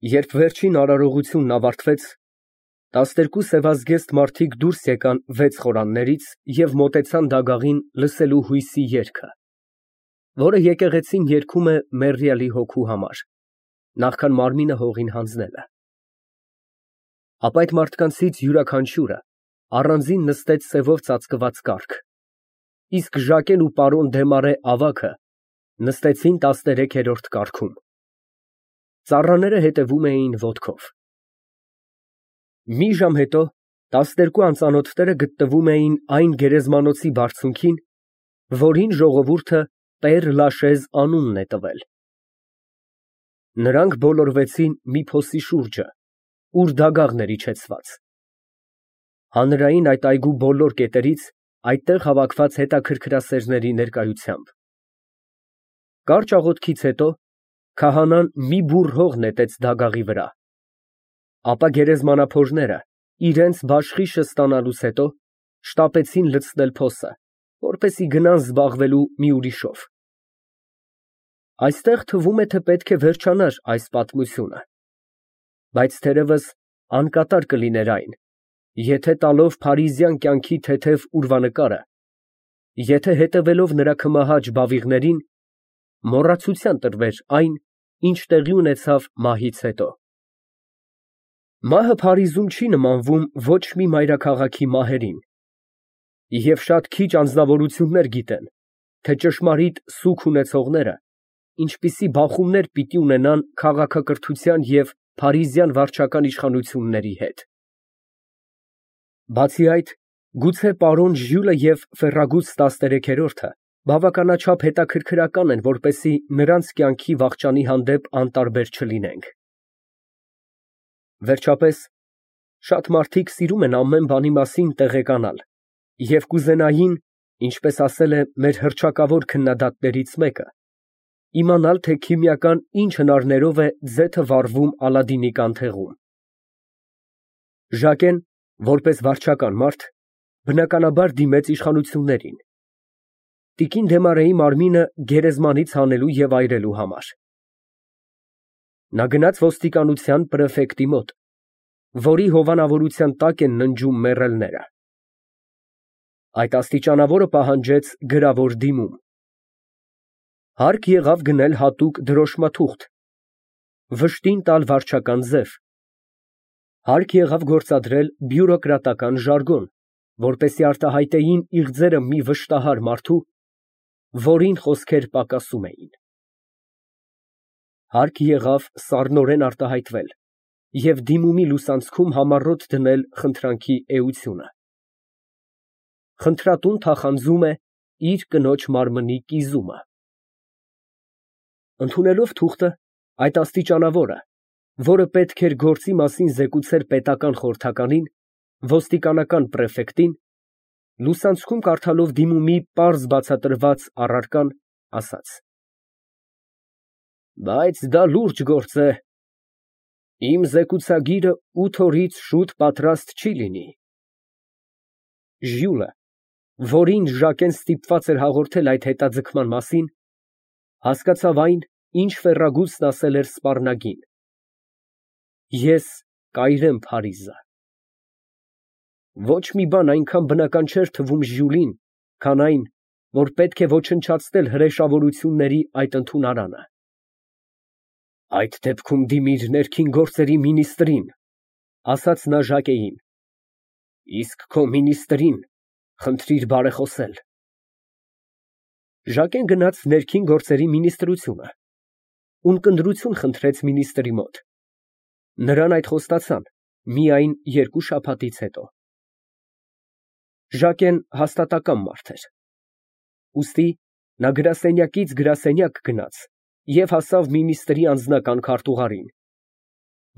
Երբ վերջին արարողությունն ավարտվեց, 12 սևազգեստ մարդիկ դուրս եկան վեց խորաններից և մոտեցան դագաղին լսելու հույսի երգը, որը եկեղեցին երգում է մեռյալի հոգու համար, նախքան մարմինը հողին հանձնելը։ Ապա այդ մարդկանցից յուրաքանչյուրը առանձին նստեց սևով ծածկված կառք, իսկ Ժակեն ու պարոն Դեմարե ավագը նստեցին 13-րդ կառքում։ Ծառաները հետևում էին ոտքով։ Մի ժամ հետո 12 անծանոթները գտնվում էին այն գերեզմանոցի բարձունքին, որին ժողովուրդը Պեր Լաշեզ անունն է տվել։ Նրանք բոլորվեցին մի փոսի շուրջը, ուր դագաղն էր իջեցված։ Հանրային այդ այգու բոլոր կետերից այդտեղ հավաքված հետաքրքրասերների ներկայությամբ։ Կարճ աղոթքից հետո քահանան մի բուռ հող նետեց դագաղի վրա, ապա գերեզմանափորները իրենց բաշխիշը ստանալուց հետո շտապեցին լցնել փոսը, որպեսզի գնան զբաղվելու մի ուրիշով։ Այստեղ թվում է, թե պետք է վերջանար այս պատմությունը, բայց թերևս անկատար կլիներ այն, եթե տալով փարիզյան կյանքի թեթև ուրվանկարը, եթե հետևելով նրա քմահաճ բավիղներին, մոռացության տրվեր այն, ինչ տեղի ունեցավ մահից հետո։ Մահը Փարիզում չի նմանվում ոչ մի մայրաքաղաքի մահերին, և շատ քիչ անձնավորություններ գիտեն, թե ճշմարիտ սուգ ունեցողները ինչպիսի բախումներ պիտի ունենան քաղաքակրթության և փարիզյան վարչական իշխանությունների հետ։ Բացի այդ, գուցե պարոն Ժյուլը և Ֆերրագուտ 13-րդը բավականաչափ հետաքրքրական են, որպեսզի նրանց կյանքի վախճանի հանդեպ անտարբեր չլինենք։ Վերջապես, շատ մարդիկ սիրում են ամեն բանի մասին տեղեկանալ և կուզենային, ինչպես ասել է մեր հռչակավոր քննադատներից մեկը, իմանալ, թե քիմիական ինչ հնարներով է ձեթը վառվում Ալադինի կանթեղում։ Ժակեն, որպես վարչական մարդ, բնականաբար դիմեց իշխանություններին, տիկին Դեմարեի մարմինը գերեզմանից հանելու և այրելու համար։ Նա գնաց ոստիկանության պրեֆեկտի մոտ, որի հովանավորության տակ են ննջում մեռելները։ Այդ աստիճանավորը պահանջեց գրավոր դիմում։ Հարկ եղավ գնել հատուկ դրոշմաթուղթ, վշտին տալ վարչական ձև, հարկ եղավ գործադրել բյուրոկրատական ժարգոն, որպեսզի արտահայտեին իղձերը մի վշտահար մարդու, որին խոսքեր պակասում էին։ Հարկ եղավ սառնորեն արտահայտվել և դիմումի լուսանցքում համառոտ դնել խնդրանքի էությունը։ Խնդրատուն թախանձում է իր կնոջ մարմնի կիզումը։ Ընդունելով թուղթը, այդ աստիճանավորը, որը պետք էր գործի մասին զեկուցեր պետական խորհրդականին, ոստիկանական պրեֆեկտին, լուսանցքում կարդալով դիմումի պարզ բացատրված առարկան, ասաց. Բայց դա լուրջ գործ է, իմ զեկուցագիրը 8 օրից շուտ պատրաստ չի լինի։ Ժյուլը, որին Ժակեն ստիպված էր հաղորդել այդ հետաձգման մասին, հասկացավ այն, ինչ Ֆերրագուտն ասել էր սպառնագին. Ես կայրեմ Փարիզը։ Ոչ մի բան այնքան բնական չէր թվում Ժյուլին, քան այն, որ պետք է ոչնչացնել հրեշավորությունների այդ ընդունարանը։ Այդ դեպքում դիմիր ներքին գործերի մինիստրին, ասաց նա Ժակեին, իսկ քո մինիստրին խնդրիր բարեխոսել։ Ժակեն գնաց ներքին գործերի մինիստրությունը, ունկնդրություն խնդրեց մինիստրի մոտ։ Նրան այդ խոստացան միայն 2 շաբաթից հետո։ Ժակեն հաստատակամ մարդ էր։ Ուստի նա գրասենյակից գրասենյակ գնաց և հասավ մինիստրի անձնական քարտուղարին,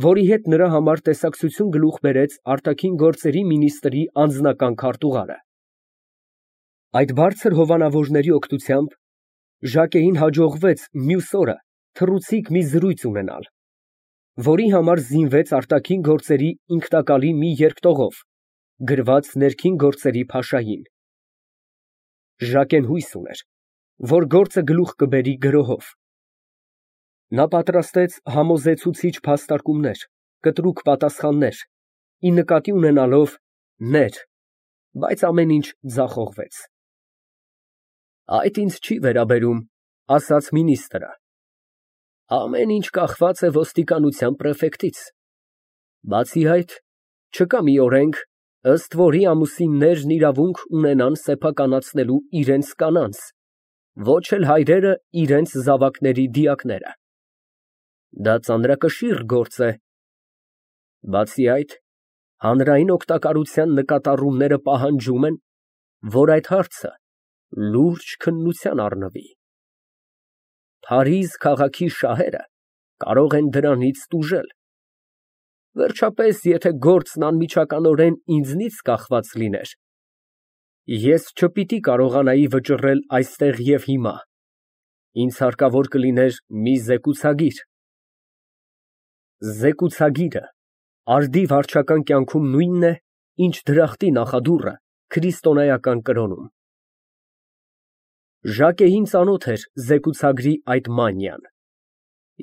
որի հետ նրա համար տեսակցություն գլուխ բերեց արտաքին գործերի մինիստրի անձնական քարտուղարը։ Այդ բարձր հովանավորների օգնությամբ Ժակեին հաջողվեց մյուս օրը թռուցիկ մի զրույց ունենալ, որի համար զինվեց արտաքին գործերի ինքնակալի մի երկտողով, գրված ներքին գործերի փաշային։ Ժակեն հույս ուներ, որ գործը գլուխ կբերի գրոհով։ Նա պատրաստեց համոզեցուցիչ փաստարկումներ, կտրուկ պատասխաններ, ի նկատի ունենալով ներ, բայց ամեն ինչ ձախողվեց։ Այդ ինձ չի վերաբերում, ասաց մինիստրը։ Ամեն ինչ կախված է ոստիկանության պրեֆեկտից։ Բացի այդ, չկա մի օրենք, ըստ որի ամուսիններն իրավունք ունենան սեփականացնելու իրենց կանանց, ոչ էլ հայրերը իրենց զավակների դիակները։ Դա ծանրակշիռ գործ է։ Բացի այդ, հանրային օգտակարության նկատառումները պահանջում են, որ այդ հարցը լուրջ քննության առնվի։ Փարիզ քաղաքի շահերը կարող են դրանից տուժել։ Վերջապես, եթե գործն անմիջականորեն ինձնից կախված լիներ, ես չպիտի կարողանայի վճռել այստեղ և հիմա, ինձ հարկավոր կլիներ մի զեկուցագիր։ Զեկուցագիրը արդի վարչական կյանքում նույնն է, ինչ դրախտի նախադուռը քրիստոնեական կրոնում։ Ժակեին ծանոթ էր զեկուցագրի այդ մանիան,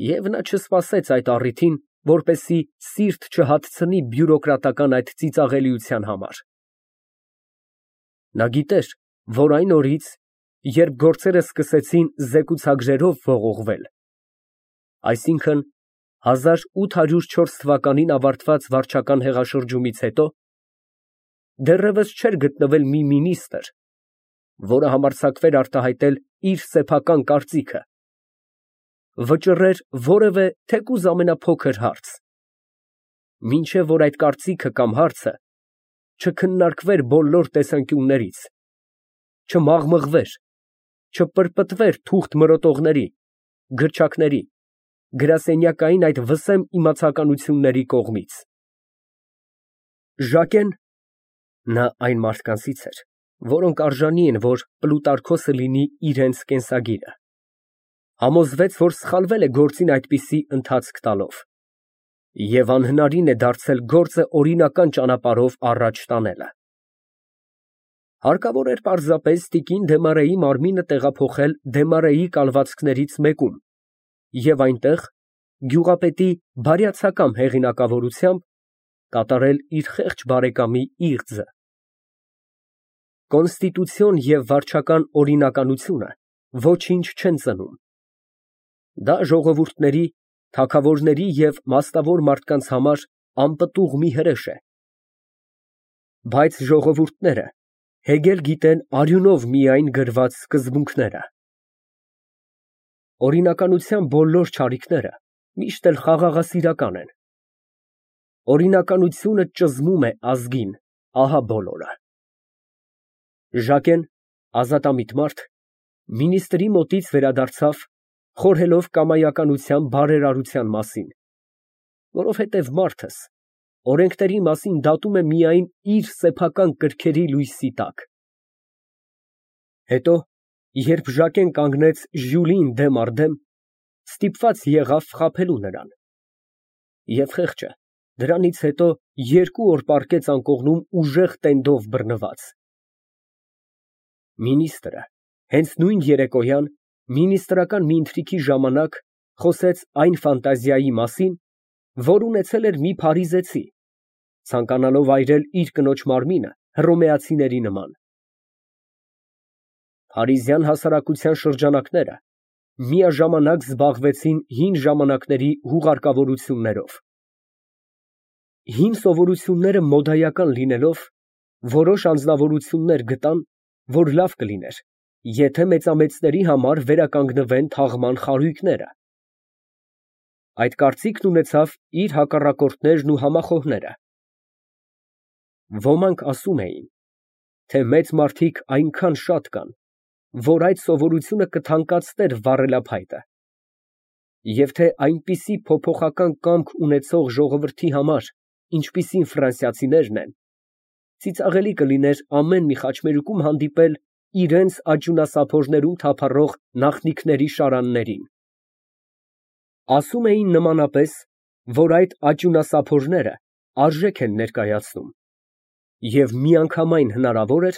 և նա չսպասեց այդ առիթին, որպեսզի սիրտ չհատցնի բյուրոկրատական այդ ծիծաղելիության համար։ Նա գիտեր, որ այն օրից, երբ գործերը սկսեցին զեկուցագրերով ողողվել, այսինքն 1804 թվականին ավարտված վարչական հեղաշրջումից հետո, դեռևս չէր գտնվել մի մինիստր, որը համարձակվեր արտահայտել իր սեփական կարծիքը, վճռեր որևէ թեկուզ ամենափոքր հարց, մինչև որ այդ կարծիքը կամ հարցը չքննարկվեր բոլոր տեսանկյուններից, չմաղմղվեր, չպրպտվեր թուղթ մրոտողների, գրչակների, գրասենյակային այդ վսեմ իմացականությունների կողմից։ Ժակեն (նա այն մարդկանցից էր, որոնք արժանի են, որ Պլուտարքոսը լինի իրենց կենսագիրը) համոզվեց, որ սխալվել է գործին այդպիսի ընթացք տալով, և անհնարին է դարձել գործը օրինական ճանապարհով առաջ տանելը։ Հարկավոր էր պարզապես տիկին Դեմարեի մարմինը տեղափոխել Դեմարեի կալվածքներից մեկում և այնտեղ, գյուղապետի բարյացակամ հեղինակավորությամբ, կատարել իր խեղճ բարեկամի իղձը։ Կոնստիտուցիոն և վարչական օրինականությունը ոչինչ չեն ծնում։ Դա ժողովուրդների, թագավորների և մասնավոր մարդկանց համար անպտուղ մի հրեշ է։ Բայց ժողովուրդները հեգել գիտեն արյունով միայն գրված սկզբունքները։ Օրինականության բոլոր չարիքները միշտ էլ խաղաղասիրական են։ Օրինականությունը ճզմում է ազգին, ահա բոլորը։ Ժակեն, ազատամիտ մարդ, մինիստրի մոտից վերադարձավ, խորհելով կամայականության բարերարության մասին, որովհետև մարդս օրենքների մասին դատում է միայն իր սեփական կրքերի լույսի տակ։ Հետո, երբ Ժակեն կանգնեց Ժյուլիին դեմ առ դեմ, ստիպված եղավ խաբելու նրան, և խեղճը դրանից հետո 2 օր պառկեց անկողնում ուժեղ տենդով բռնված։ Մինիստրը հենց նույն երեկոյան, մինիստրական մի ընթրիքի ժամանակ, խոսեց այն ֆանտազիայի մասին, որ ունեցել էր մի փարիզեցի, ցանկանալով այրել իր կնոջ մարմինը հռոմեացիների նման։ Փարիզյան հասարակության շրջանակները միաժամանակ զբաղվեցին հին ժամանակների հուղարկավորություններով։ Հին սովորությունները մոդայական լինելով, որոշ անձնավորություններ գտան, որ լավ կլիներ, եթե մեծամեծների համար վերականգնվեն թաղման խարույկները։ Այդ կարծիքն ունեցավ իր հակառակորդներն ու համախոհները։ Ոմանք ասում էին, թե մեծ մարդիկ այնքան շատ կան, որ այդ սովորությունը կթանկացներ վառելափայտը, և թե այնպիսի փոփոխական կամք ունեցող ժողովրդի համար, ինչպիսին ֆրանսիացիներն են, ծիծաղելի կլիներ ամեն մի խաչմերուկում հանդիպել իրենց աճյունասափորներում թափառող նախնիքների շարաններին։ Ասում էին նմանապես, որ այդ աճյունասափորները արժեք են ներկայացնում, և միանգամայն հնարավոր էր,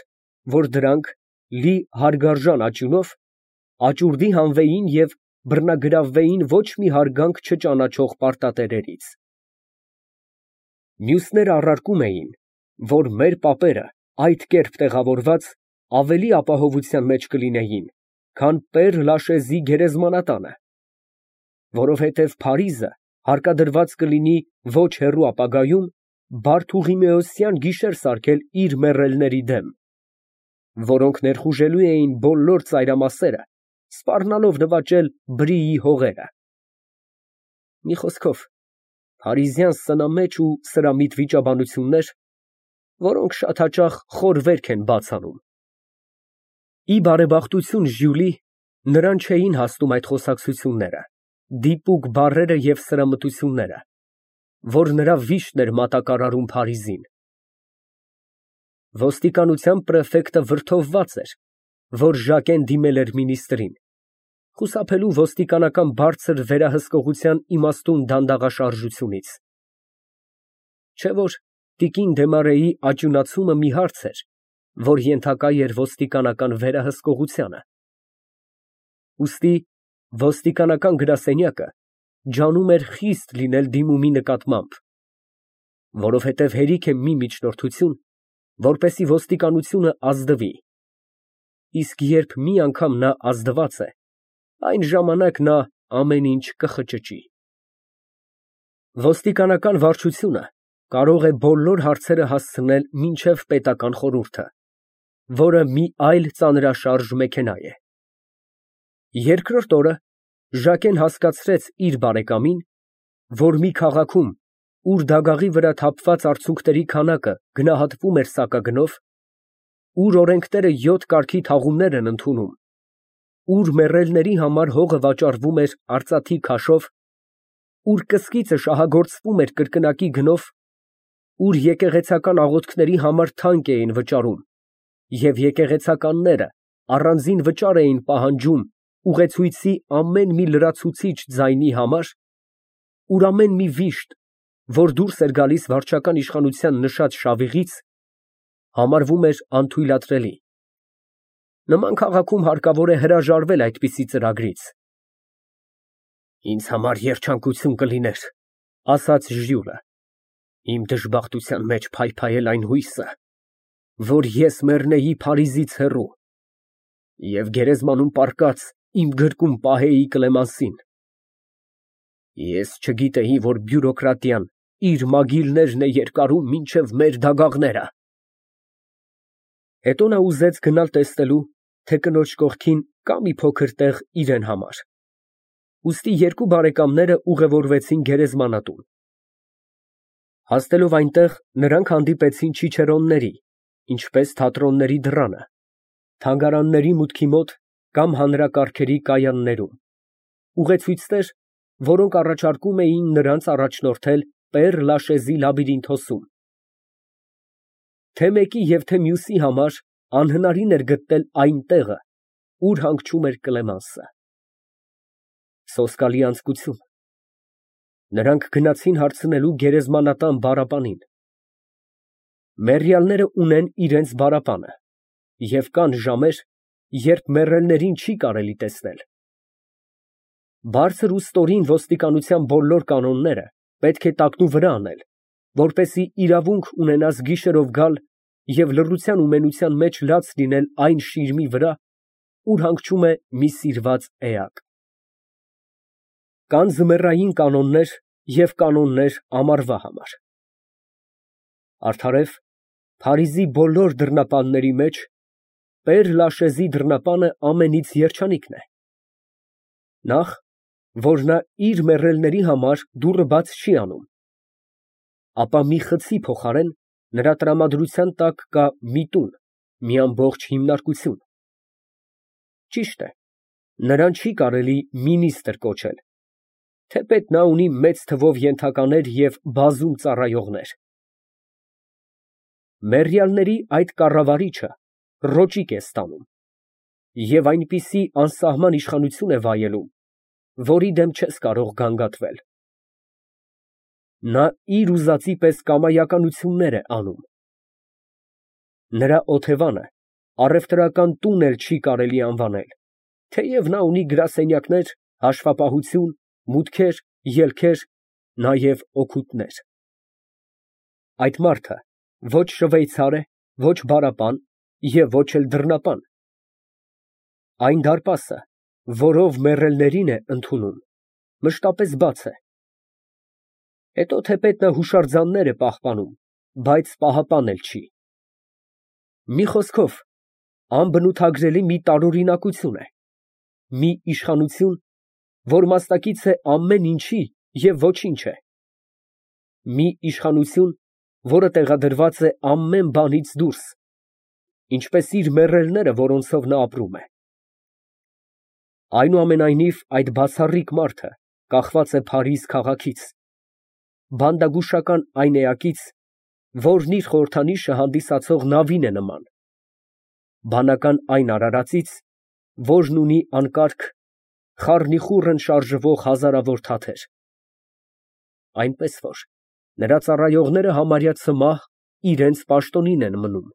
որ դրանք, լի հարգարժան աճյունով, աճուրդի հանվեին և բռնագրավվեին ոչ մի հարգանք չճանաչող պարտատերերից։ Մյուսները առարկում էին, որ մեր պապերը այդ կերպ տեղավորված ավելի ապահովության մեջ կլինեին, քան Պեր-Լաշեզի գերեզմանատանը, որովհետև Փարիզը հարկադրված կլինի ոչ հեռու ապագայում բարդուղիմեոսյան գիշեր սարքել իր մեռելների դեմ, որոնք ներխուժելու էին բոլոր ծայրամասերը, սպառնալով նվաճել Բրիի հողերը։ Մի խոսքով, փարիզյան սնամեջ ու սրամիտ վիճաբանություններ, որոնք շատ հաճախ խոր վերք են բաց անում։ Ի բարեբախտություն Ժյուլի, նրան չէին հասնում այդ խոսակցությունները, դիպուկ բառերը և սրամտությունները, որ նրա վիշտն էր մատակարարում Փարիզին։ Ոստիկանության պրեֆեկտը վրդովված էր, որ Ժակեն դիմել էր մինիստրին, խուսափելու ոստիկանական բարձր վերահսկողության իմաստուն դանդաղաշարժությունից։ Չէ՞ որ տիկին Դեմարեի աճյունացումը մի հարց էր, որ ենթակա էր ոստիկանական վերահսկողությանը։ Ուստի ոստիկանական գրասենյակը ջանում էր խիստ լինել դիմումի նկատմամբ, որովհետև հերիք է մի միջնորդություն, որպեսզի ոստիկանությունը ազդվի, իսկ երբ մի անգամ նա ազդված է, այն ժամանակ նա ամեն ինչ կխճճի։ Ոստիկանական վարչությունը կարող է բոլոր հարցերը հասցնել մինչև պետական խորհուրդը, որը մի այլ ծանրաշարժ մեքենա է։ Երկրորդ օրը Ժակեն հասկացրեց իր բարեկամին, որ մի քաղաքում, ուր դագաղի վրա թափված արցունքների քանակը գնահատվում էր սակագնով, ուր օրենքները 7 կարգի թաղումներ են ընդունում, ուր մեռելների համար հողը վաճառվում էր արծաթի քաշով, ուր կսկիծը շահագործվում էր կրկնակի գնով, ուր եկեղեցական աղոթքների համար թանկ էին վճարում, և եկեղեցականները առանձին վճար էին պահանջում ուղեցույցի ամեն մի լրացուցիչ ձայնի համար, ուր ամեն մի վիշտ, որ դուրս էր գալիս վարչական իշխանության նշած շավիղից, համարվում էր անթույլատրելի։ Նման քաղաքում հարկավոր է հրաժարվել այդպիսի ծրագրից։ «Ինձ համար երջանկություն կլիներ, ֊ ասաց Ժյուլը, ֊ իմ դժբախտության մեջ փայփայել այն հույսը, որ ես մեռնեի Փարիզից հեռու և գերեզմանում պառկած իմ գրկում պահեի Կլեմանսին։ Ես չգիտեի, որ բյուրոկրատիան իր մագիլներն է երկարում մինչև մեր դագաղները»։ Հետո նա ուզեց գնալ տեսնելու, թե կնոջ կողքին կա մի փոքր տեղ իրան համար, ուստի երկու բարեկամները ուղևորվեցին գերեզմանատուն։ Հասնելով այնտեղ, նրանք հանդիպեցին չիչերոնների, ինչպես թատրոնների դռանը, թանգարանների մուտքի մոտ կամ հանրակարգերի կայաններում, ուղեցույցներ, որոնք առաջարկում էին նրանց առաջնորդել Պեր-Լաշեզի լաբիրինթոսում։ Թե մեկի և թե մյուսի համար անհնարին էր գտնել այն տեղը, ուր հանգչում էր Կլեմենսը։ Սոսկալի անձկություն։ Նրանք գնացին հարցնելու գերեզմանատան բառապանին։ Մեռյալները ունեն իրենց բառապանը, և կան ժամեր, երբ մեռելներին չի կարելի տեսնել։ Բարձր ու ստորին ոստիկանության բոլոր կանոնները պետք է տակնուվրա անել, որպեսզի իրավունք ունենաս գիշերով գալ և լռության ու մենության մեջ լաց լինել այն շիրմի վրա, ուր հանգչում է մի սիրված էակ։ Կան ձմեռային կանոններ և կանոններ ամառվա համար։ Արդարև, Փարիզի բոլոր դռնապանների մեջ Պեր-Լաշեզի դռնապանը ամենից երջանիկն է։ Նախ, որ նա իր մեռելների համար դուռը բաց չի անում, ապա մի խցի փոխարեն նրա տրամադրության տակ կա մի տուն, մի ամբողջ հիմնարկություն։ Ճիշտ է, նրան չի կարելի մինիստր կոչել, թեպետ նա ունի մեծ թվով ենթականեր և բազում ծառայողներ։ Մեռյալների այդ կառավարիչը ռոճիկ է ստանում և այնպիսի անսահման իշխանություն է վայելում, որի դեմ չես կարող գանգատվել։ Նա իր ուզածի պես կամայականություններ է անում։ Նրա օթևանը առևտրական տուն էլ չի կարելի անվանել, թեև նա ունի գրասենյակներ Հաշվապահություն, մուտքեր, ելքեր, նաև օգուտներ։ Այդ մարդը ոչ շվեյցար է, ոչ բարապան և ոչ էլ դռնապան։ Այն դարպասը, որով մեռելներին է ընդունում, մշտապես բաց է։ Հետո թեպետ նա հուշարձաններ է պահպանում, բայց պահապան էլ չի։ Մի խոսքով, անբնութագրելի մի տարօրինակություն է, մի իշխանություն, որ մասնակից է ամեն ինչի և ոչինչ է, մի իշխանություն, որը տեղադրված է ամեն բանից դուրս, ինչպես իր մեռելները, որոնցով նա ապրում է։ Այնուամենայնիվ, այդ բացառիկ մարդը կախված է Փարիզ քաղաքից, բանդագուշական այն էակից, որն իր խորհրդանիշը հանդիսացող նավին է նման, բանական այն արարածից, որն ունի անկարգ, խառնիխուռն շարժվող հազարավոր թաթեր, այնպես որ նրա ծառայողները համարյա ցմահ իրենց պաշտոնին են մնում։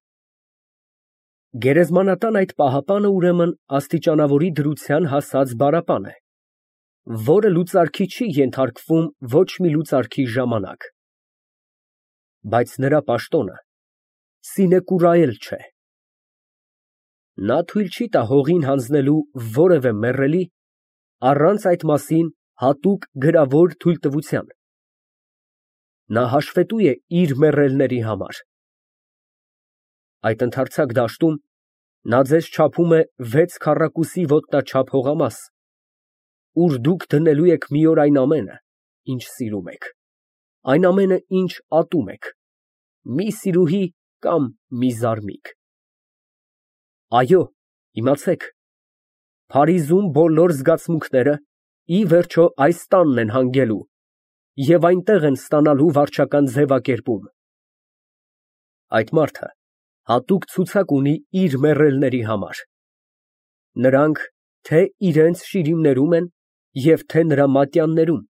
Գերեզմանատան այդ պահապանը ուրեմն աստիճանավորի դրության հասած բարապան է, որը լուծարքի չի ենթարկվում ոչ մի լուծարքի ժամանակ, բայց նրա պաշտոնը սինեկուրաել չէ։ Նա թույլ չի տա հողին հանձնելու որևէ մեռելի առանց այդ մասին հատուկ գրավոր թույլտվության։ Նա հաշվետու է իր մեռելների համար։ Այդ ընդարձակ դաշտում նա ձեզ չափում է 6 քառակուսի ոտնաչափ հողամաս, ուր դուք դնելու եք մի օր այն ամենը, ինչ սիրում եք, այն ամենը, ինչ ատում եք, մի սիրուհի կամ մի զարմիկ։ Այո, իմացեք, Փարիզում բոլոր զգացմունքները ի վերջո այս տանն են հանգելու և այնտեղ են ստանալու վարչական ձևակերպում։ Այդ մարդը հատուկ ցուցակ ունի իր մեռելների համար։ Նրանք թե իրենց շիրիմներում են և թե նրա մատյաններում։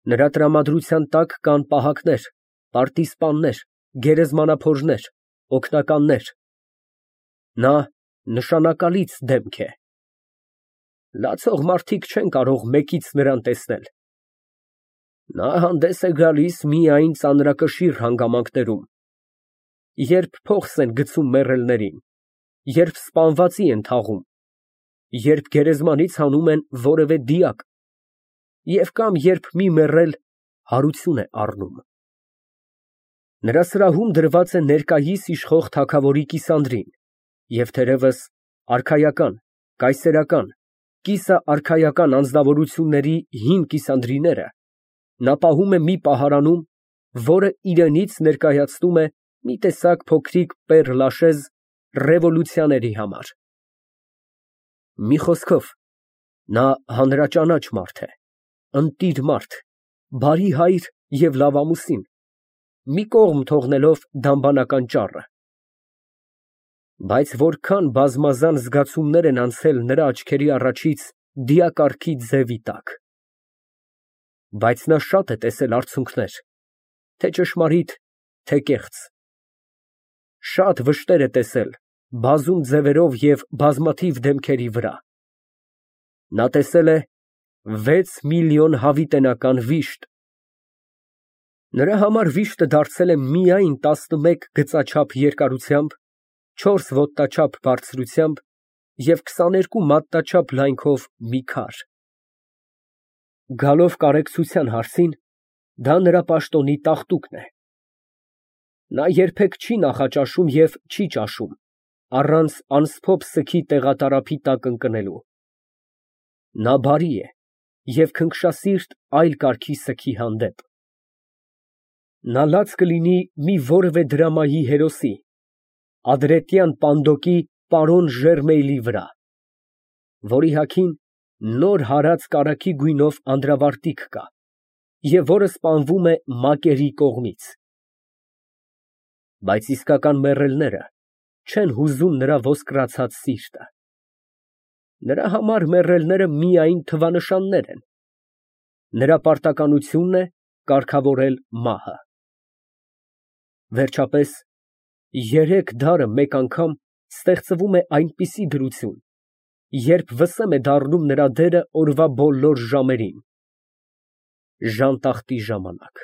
Նրա տրամադրության տակ կան պահակներ, պարտիզպաններ, գերեզմանափորներ, օգնականներ։ Նա նշանակալից դեմք է։ Լացող մարդիկ չեն կարող մեկից նրան տեսնել։ Նա հանդես է գալիս միայն ծանրակշիռ հանգամանքներում, երբ փողս են գցում մեռելներին, երբ սպանվածի են թաղում, երբ գերեզմանից հանում են որևէ դիակ և կամ երբ մի մեռել հարություն է առնում։ Նրա սրահում դրված է ներկայիս իշխող թագավորի կիսանդրին և թերևս արքայական, կայսերական, կիսաարքայական անձնավորությունների հին կիսանդրիները նա պահում է մի պահարանում, որը իրենից ներկայացնում է մի տեսակ փոքրիկ Պեր Լաշեզ ռևոլյուցիաների համար։ Մի խոսքով, նա հանրաճանաչ մարդ է, ընտիր մարդ, բարի հայր և լավամուսին, մի կողմ թողնելով դամբանական ճառը։ Բայց որքան բազմազան զգացումներ են անցել նրա աչքերի առաջից դիակառքի ձևի տակ։ Բայց նա շատ է տեսել արցունքներ, թե ճշմարիտ, թե կեղծ, շատ վշտեր է տեսել բազում ձևերով և բազմաթիվ դեմքերի վրա։ Նա տեսել է 6 միլիոն հավիտենական վիշտ։ Նրա համար վիշտը դարձել է միայն 11 գծաչափ երկարությամբ, 4 ոտնաչափ բարձրությամբ և 22 մատնաչափ լայնքով մի քար։ Գալով կարեկցության հարցին, դա նրա պաշտոնի տաղտուկն է։ Նա երբեք չի նախաճաշում և չի ճաշում, առանց անսփոփ սգի տեղատարափի տակ ընկնելու։ Նա բարի է և քնքշասիրտ այլ կարգի սգի հանդեպ։ Նա լաց կլինի մի որևէ դրամայի հերոսի, Ադրետյան Պանդոկի պարոն Ժերմեյլի վրա, որի հագին նոր հարած կարագի գույնով անդրավարտիք կա և որը սպանվում է մակերի կողմից։ Բայց իսկական մեռելները չեն հուզում նրա ոսկրացած սիրտը։ Նրա համար մեռելները միայն թվանշաններ են։ Նրա պարտականությունն է կարգավորել մահը։ Վերջապես, երեք դարը մեկ անգամ ստեղծվում է այնպիսի դրություն, Երբ վսեմ է դառնում նրա դերը օրվա բոլոր ժամերին։ Ժանտախտի ժամանակ։